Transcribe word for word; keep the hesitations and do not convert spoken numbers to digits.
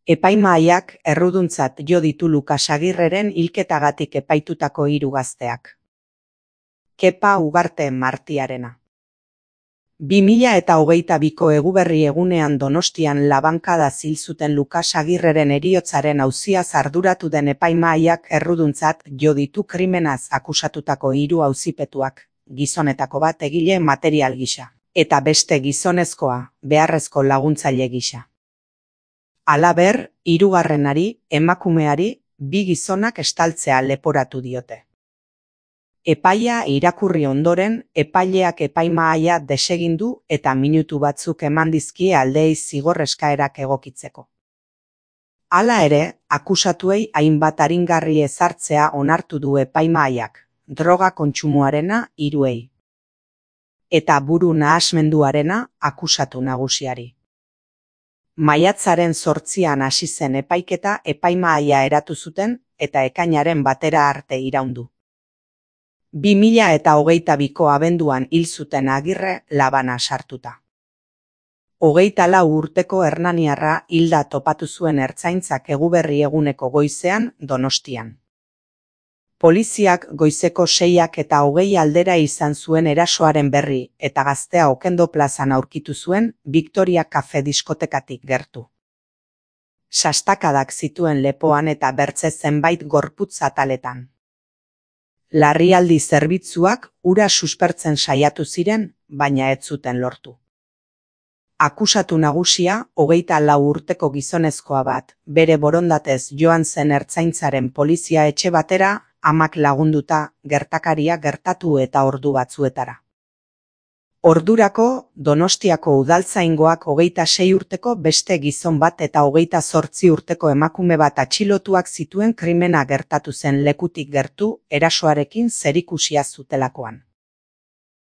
Epaimahaiak erruduntzat jo ditu Lukas Agirreren hilketagatik epaitutako hiru gazteak. Kepa Ugarte Martiarena. bi mila hogeita biko Eguberri egunean Donostian labankada zil zuten Lukas Agirreren heriotzaren auziaz arduratu den epaimahaiak erruduntzat jo ditu krimenaz akusatutako hiru auzipetuak, gizonetako bat egile material gisa, eta beste gizonezkoa beharrezko laguntzaile gisa. Halaber, hirugarrenari, emakumeari, bi gizonak estaltzea leporatu diote. Epaia irakurri ondoren, epaileak epaimahaia desegin du eta minutu batzuk eman dizkie aldeei zigor eskaerak egokitzeko. Hala ere, akusatuei hainbat aringarri ezartzea onartu du epaimahaiak, droga kontsumoarena hiruei. Eta buru nahasmenduarena akusatu nagusiari. Maiatzaren zortzian hasi zen epaiketa epaimahaia eratu zuten eta ekainaren batera arte iraundu. bi mila hogeita biko abenduan hil zuten Agirre labana sartuta. Hogeita lau urteko hernaniarra hilda topatu zuen ertzaintzak Eguberri eguneko goizean Donostian. Poliziak goizeko seiak eta hogei aldera izan zuen erasoaren berri eta gaztea Okendo plazan aurkitu zuen Victoria Cafe diskotekatik gertu. Sastakadak zituen lepoan eta bertze zenbait gorputz ataletan. Larrialdi zerbitzuak ura suspertzen saiatu ziren, baina ez zuten lortu. Akusatu nagusia, hogeita lau urteko gizonezkoa bat, bere borondatez joan zen ertzaintzaren polizia etxe batera, amak lagunduta gertakaria gertatu eta ordu batzuetara. Ordurako, Donostiako udaltzaingoak hogeita sei urteko beste gizon bat eta hogeita zortzi urteko emakume bat atxilotuak zituen krimena gertatu zen lekutik gertu erasoarekin zerikusia zutelakoan.